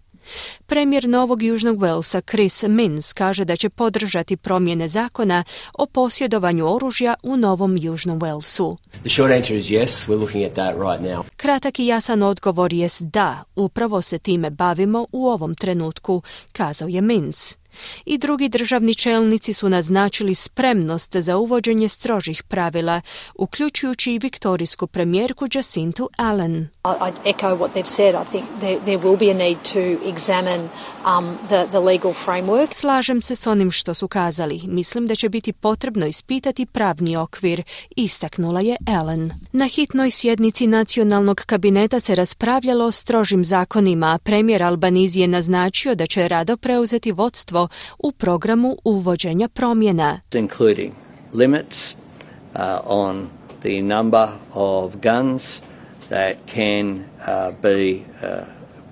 Premijer Novog Južnog Walesa Chris Minns kaže da će podržati promjene zakona o posjedovanju oružja u Novom Južnom Walesu. The short answer is yes, we're looking at that right now. Kratak i jasan odgovor jest da, upravo se time bavimo u ovom trenutku, kazao je Minns. I drugi državni čelnici su naznačili spremnost za uvođenje strožih pravila, uključujući i viktorijsku premijerku Jacintu Allen. I'd echo what they've said. I think there, there will be a need to examine um, the, the legal framework. Slažem se s onim što su kazali. Mislim da će biti potrebno ispitati pravni okvir, istaknula je Allen. Na hitnoj sjednici nacionalnog kabineta se raspravljalo o strožim zakonima, a premijer Albanese je naznačio da će rado preuzeti vodstvo u programu uvođenja promjena. Including limits uh, on the number of guns that can uh, be, uh,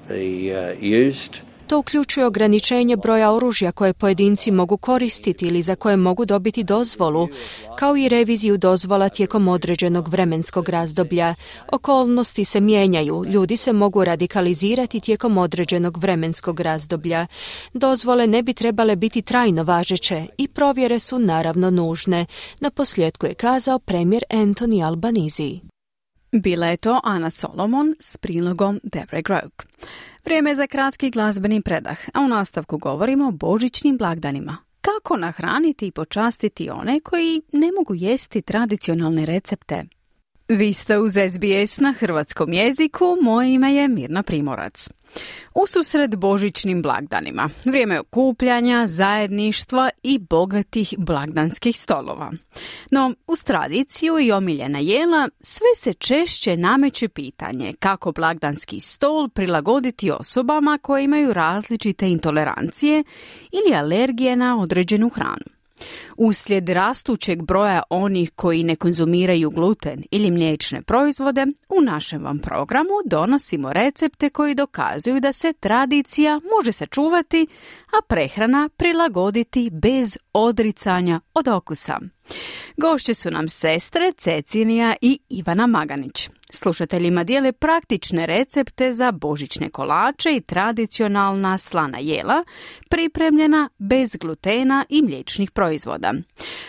be uh, used. To uključuje ograničenje broja oružja koje pojedinci mogu koristiti ili za koje mogu dobiti dozvolu, kao i reviziju dozvola tijekom određenog vremenskog razdoblja. Okolnosti se mijenjaju, ljudi se mogu radikalizirati tijekom određenog vremenskog razdoblja. Dozvole ne bi trebale biti trajno važeće i provjere su naravno nužne, na posljedku je kazao premijer Anthony Albanese. Bila je to Ana Solomon s prilogom Deborah Groke. Vrijeme je za kratki glazbeni predah, a u nastavku govorimo o božićnim blagdanima. Kako nahraniti i počastiti one koji ne mogu jesti tradicionalne recepte? Vi ste uz S B S na hrvatskom jeziku, moje ime je Mirna Primorac. Ususret božićnim blagdanima, vrijeme okupljanja, zajedništva i bogatih blagdanskih stolova. No, uz tradiciju i omiljena jela, sve se češće nameće pitanje kako blagdanski stol prilagoditi osobama koje imaju različite intolerancije ili alergije na određenu hranu. Uslijed rastućeg broja onih koji ne konzumiraju gluten ili mliječne proizvode, u našem vam programu donosimo recepte koji dokazuju da se tradicija može sačuvati, a prehrana prilagoditi bez odricanja od okusa. Gošće su nam sestre Cecilija i Ivana Maganić. Slušateljima dijele praktične recepte za božićne kolače i tradicionalna slana jela, pripremljena bez glutena i mliječnih proizvoda.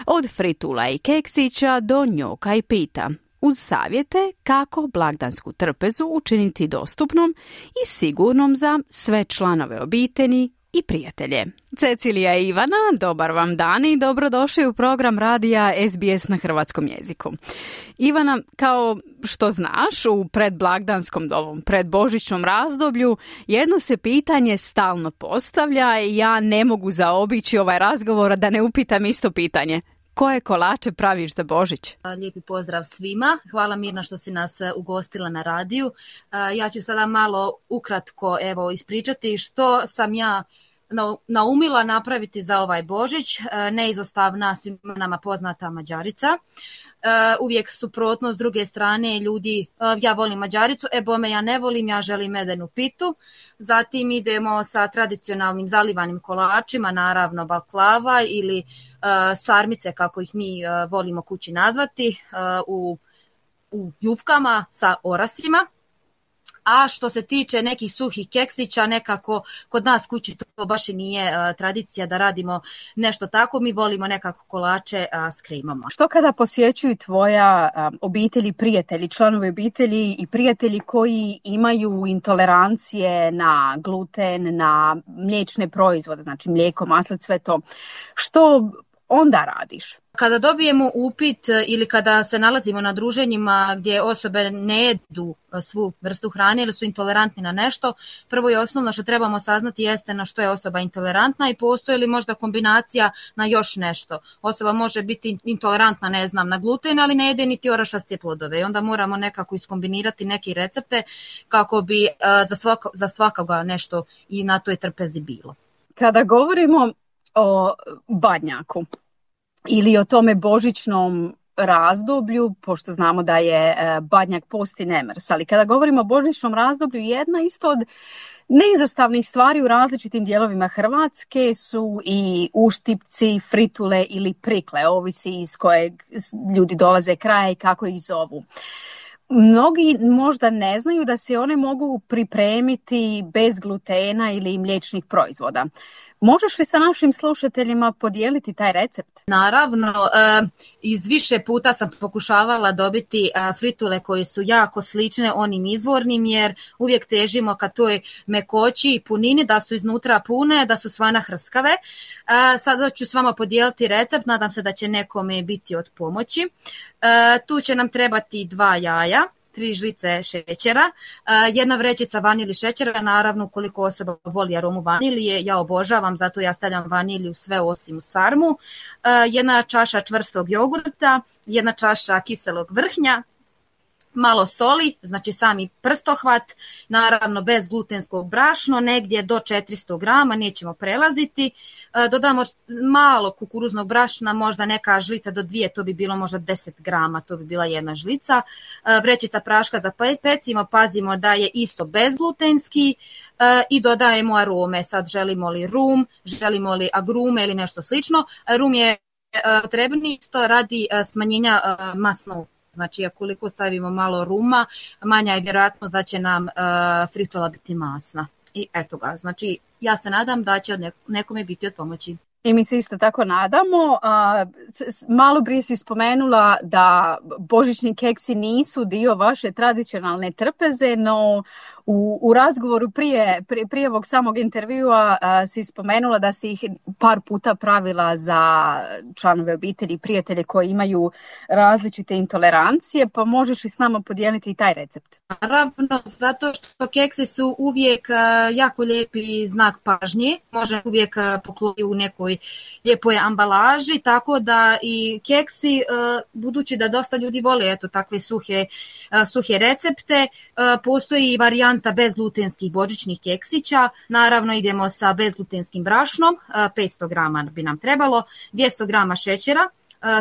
Od fritula i keksića do njoka i pita. Uz savjete kako blagdansku trpezu učiniti dostupnom i sigurnom za sve članove obitelji i prijatelje. Cecilija i Ivana, dobar vam dan i dobrodošli u program radija S B S na hrvatskom jeziku. Ivana, kao što znaš, u predblagdanskom, ovom predbožićnom razdoblju jedno se pitanje stalno postavlja i ja ne mogu zaobići ovaj razgovor da ne upitam isto pitanje. Koje kolače praviš za Božić? Lijepi pozdrav svima. Hvala Mirna što si nas ugostila na radiju. Ja ću sada malo ukratko evo ispričati što sam ja naumila napraviti za ovaj Božić. Neizostavna svima nama poznata Mađarica. Uvijek suprotno, s druge strane ljudi, ja volim Mađaricu, e bome ja ne volim, ja želim medenu pitu. Zatim idemo sa tradicionalnim zalivanim kolačima, naravno baklava ili sarmice kako ih mi volimo kući nazvati, u, u jufkama sa orasima. A što se tiče nekih suhih keksića, nekako kod nas kući to baš i nije uh, tradicija da radimo nešto tako. Mi volimo nekako kolače uh, s kremama. Što kada posjećuju tvoja um, obitelji, prijatelji, članovi obitelji i prijatelji koji imaju intolerancije na gluten, na mliječne proizvode, znači mlijeko, maslac, sve to, što onda radiš? Kada dobijemo upit ili kada se nalazimo na druženjima gdje osobe ne jedu svu vrstu hrane ili su intolerantni na nešto, prvo i osnovno što trebamo saznati jeste na što je osoba intolerantna i postoji li možda kombinacija na još nešto. Osoba može biti intolerantna, ne znam, na gluten, ali ne jede niti orašaste plodove i onda moramo nekako iskombinirati neke recepte kako bi uh, za, svako, za svakoga nešto i na toj trpezi bilo. Kada govorimo o badnjaku ili o tome božićnom razdoblju, pošto znamo da je badnjak post i nemrs, ali kada govorimo o božićnom razdoblju, jedna isto od neizostavnih stvari u različitim dijelovima Hrvatske su i uštipci, fritule ili prikle, ovisi iz kojeg ljudi dolaze kraja i kako ih zovu. Mnogi možda ne znaju da se one mogu pripremiti bez glutena ili mliječnih proizvoda. Možeš li sa našim slušateljima podijeliti taj recept? Naravno, iz više puta sam pokušavala dobiti fritule koje su jako slične onim izvornim, jer uvijek težimo ka toj mekoći i punini, da su iznutra pune, da su svana hrskave. Sada ću s vama podijeliti recept, nadam se da će nekome biti od pomoći. Tu će nam trebati dva jaja, tri žlice šećera, jedna vrećica vanilji šećera, naravno ukoliko osoba voli aromu vanilije, ja obožavam, zato ja stavljam vanilju sve osim u sarmu, jedna čaša čvrstog jogurta, jedna čaša kiselog vrhnja, malo soli, znači sami prstohvat, naravno bez glutenskog brašno, negdje do četiristo grama, nećemo prelaziti. Dodamo malo kukuruznog brašna, možda neka žlica do dvije, to bi bilo možda deset grama, to bi bila jedna žlica. Vrećica praška za pecimo, pazimo da je isto bezglutenski i dodajemo arome. Sad želimo li rum, želimo li agrume ili nešto slično. Rum je potrebni isto radi smanjenja masnog. Znači, ukoliko stavimo malo ruma, manja je vjerojatnost da će nam uh, fritula biti masna. I eto ga, znači ja se nadam da će od nekome biti od pomoći. I mi se isto tako nadamo. Malo prije si spomenula da božićni keksi nisu dio vaše tradicionalne trpeze, no u, u razgovoru prije, prije, prije ovog samog intervjua a, si spomenula da si ih par puta pravila za članove obitelji i prijatelje koji imaju različite intolerancije, pa možeš li s nama podijeliti i taj recept? Naravno, zato što keksi su uvijek a, jako lijepi znak pažnje, može uvijek pokloniti u nekoj lijepoj ambalaži, tako da i keksi, budući da dosta ljudi vole eto takve suhe, suhe recepte, postoji varijanta bezglutenskih božićnih keksića. Naravno idemo sa bezglutenskim brašnom, petsto grama bi nam trebalo, dvjesto grama šećera,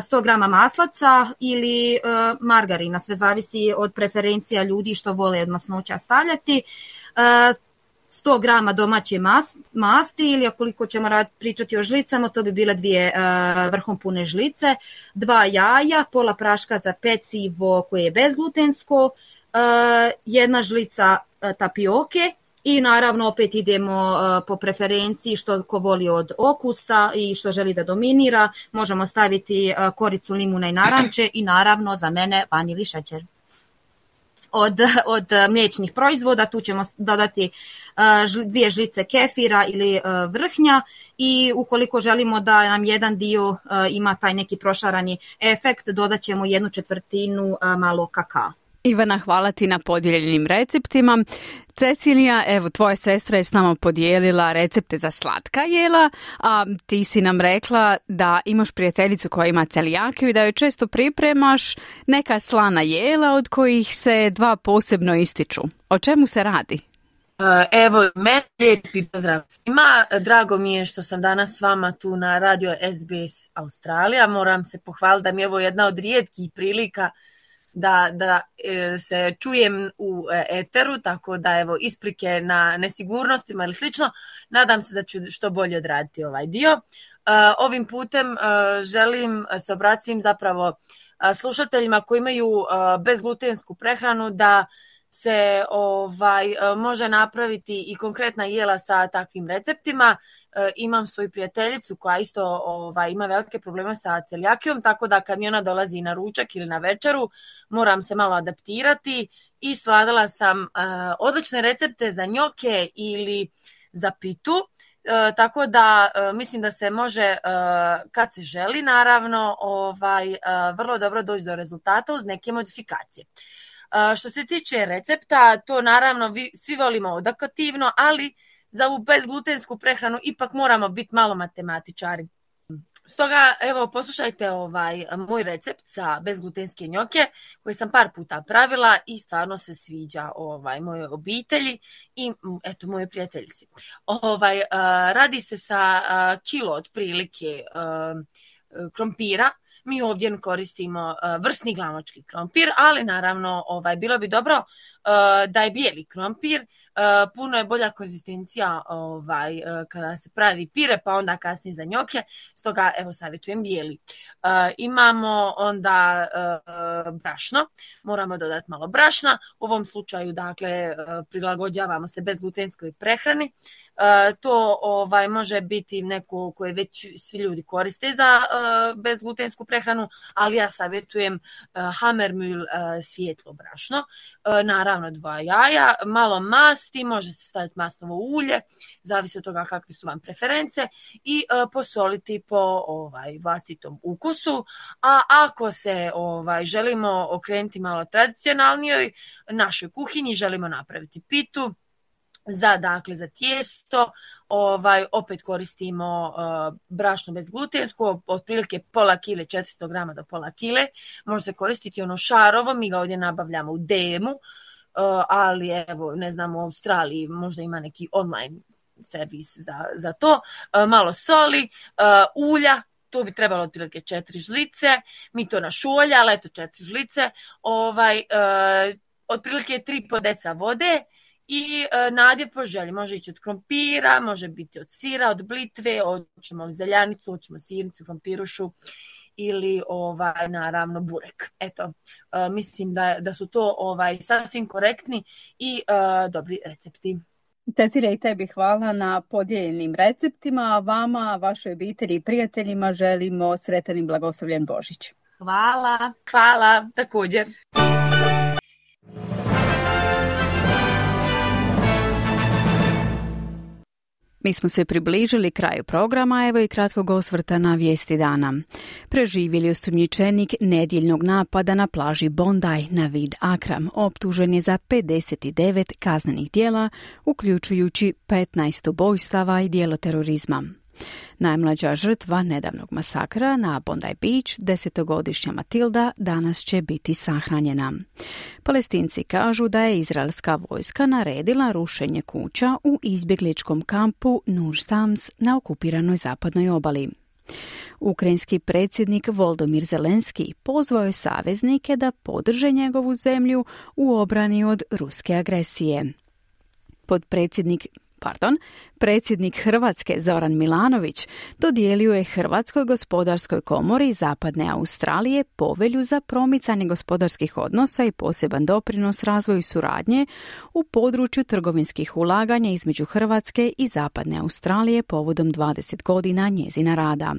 sto grama maslaca ili margarina, sve zavisi od preferencija ljudi što vole od masnoća stavljati, sto grama domaće masti ili koliko ćemo rad, pričati o žlicama, to bi bile dvije uh, vrhom pune žlice, dva jaja, pola praška za pecivo koje je bezglutensko, uh, jedna žlica uh, tapioke i naravno opet idemo uh, po preferenciji što ko voli od okusa i što želi da dominira. Možemo staviti uh, koricu limuna i naranče i naravno za mene vanilji šećer. Od, od mliječnih proizvoda tu ćemo dodati uh, dvije žlice kefira ili uh, vrhnja i ukoliko želimo da nam jedan dio uh, ima taj neki prošarani efekt, dodat ćemo jednu četvrtinu uh, malo kakaa. Ivana, hvala ti na podijeljenim receptima. Cecilija, evo, tvoja sestra je s nama podijelila recepte za slatka jela, a ti si nam rekla da imaš prijateljicu koja ima celijakiju i da joj često pripremaš neka slana jela od kojih se dva posebno ističu. O čemu se radi? Evo, meni lijepi pozdrav svima. Drago mi je što sam danas s vama tu na radio S B S Australija. Moram se pohvaliti da mi je ovo jedna od rijetkih prilika da, da e, se čujem u eteru, tako da evo isprike na nesigurnostima ili slično. Nadam se da ću što bolje odraditi ovaj dio. E, ovim putem e, želim se obratiti zapravo e, slušateljima koji imaju e, bezglutensku prehranu da se ovaj, može napraviti i konkretna jela sa takvim receptima. Imam svoju prijateljicu koja isto ovaj, ima velike probleme sa celijakijom, tako da kad mi ona dolazi na ručak ili na večeru, moram se malo adaptirati i svladala sam uh, odlične recepte za njoke ili za pitu. Uh, tako da uh, mislim da se može, uh, kad se želi naravno, ovaj, uh, vrlo dobro doći do rezultata uz neke modifikacije. Uh, što se tiče recepta, to naravno vi, svi volimo odokativno, ali za ovu bezglutensku prehranu ipak moramo biti malo matematičari. Stoga, evo, poslušajte ovaj moj recept za bezglutenske njoke koji sam par puta pravila i stvarno se sviđa ovaj mojoj obitelji i eto mojoj prijateljici. Ovaj, uh, radi se sa uh, kilo otprilike uh, krompira. Mi ovdje koristimo uh, vrsni glanočki krompir, ali naravno ovaj, bilo bi dobro uh, da je bijeli krompir. Uh, puno je bolja konzistencija ovaj, uh, kada se pravi pire, pa onda kasnije za njoke, stoga evo savjetujem bijeli. Uh, imamo onda uh, brašno, moramo dodati malo brašna, u ovom slučaju dakle uh, prilagođavamo se bezglutenskoj prehrani. Uh, to ovaj, može biti neko koje već svi ljudi koriste za uh, bezglutensku prehranu, ali ja savjetujem uh, Hammermühl uh, svijetlo brašno, uh, naravno dva jaja, malo masti, može se staviti masnovo ulje, zavisi od toga kakve su vam preference i uh, posoliti po ovaj, vlastitom ukusu, a ako se ovaj, želimo okrenuti malo tradicionalnijoj našoj kuhinji, želimo napraviti pitu, Za, dakle, za tijesto, ovaj, opet koristimo uh, brašno bezglutensko, otprilike pola kile, četiristo grama do pola kile. Može se koristiti ono šarovo, mi ga ovdje nabavljamo u D M-u, uh, ali evo, ne znam, u Australiji možda ima neki online servis za, za to. Uh, malo soli, uh, ulja, to bi trebalo otprilike četiri žlice, mi to našolja, ali eto četiri žlice, ovaj, uh, otprilike tri po deca vode, i e, nadjev po želji. Može ići od krompira, može biti od sira, od blitve, hoćemo li zeljanicu, hoćemo sirnicu, krompirušu ili ovaj, naravno burek. Eto, e, mislim da, da su to ovaj, sasvim korektni i e, dobri recepti. Cecilija, i tebi hvala na podijeljenim receptima, a vama, vašoj obitelji i prijateljima želimo sretan i blagoslovljen Božić. Hvala. Hvala, također. Mi smo se približili kraju programa, evo i kratkog osvrta na vijesti dana. Preživjeli osumnjičenik nedjeljnog napada na plaži Bondi Navid Akram optužen je za pedeset devet kaznenih djela, uključujući petnaest ubojstava i djelo terorizma. Najmlađa žrtva nedavnog masakra na Bondi Beach, desetogodišnja Matilda, danas će biti sahranjena. Palestinci kažu da je izraelska vojska naredila rušenje kuća u izbjegličkom kampu Nur Sams na okupiranoj zapadnoj obali. Ukrajinski predsjednik Volodymyr Zelenski pozvao je saveznike da podrže njegovu zemlju u obrani od ruske agresije. Podpredsjednik Pardon, predsjednik Hrvatske Zoran Milanović dodijelio je Hrvatskoj gospodarskoj komori Zapadne Australije povelju za promicanje gospodarskih odnosa i poseban doprinos razvoju suradnje u području trgovinskih ulaganja između Hrvatske i Zapadne Australije povodom dvadeset godina njezina rada.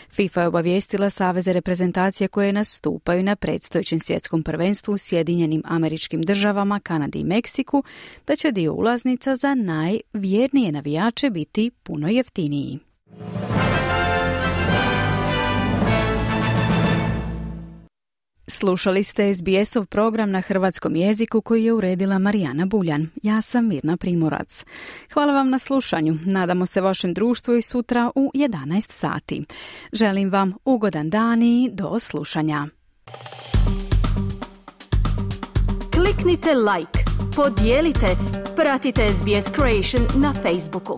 FIFA je obavijestila saveze reprezentacije koje nastupaju na predstojećem svjetskom prvenstvu u Sjedinjenim Američkim Državama, Kanadi i Meksiku da će dio ulaznica za najvjernije navijače biti puno jeftiniji. Slušali ste S B S-ov program na hrvatskom jeziku koji je uredila Marijana Buljan. Ja sam Mirna Primorac. Hvala vam na slušanju. Nadamo se vašem društvu i sutra u jedanaest sati. Želim vam ugodan dan i do slušanja. Kliknite like, podijelite, pratite S B S Creation na Facebooku.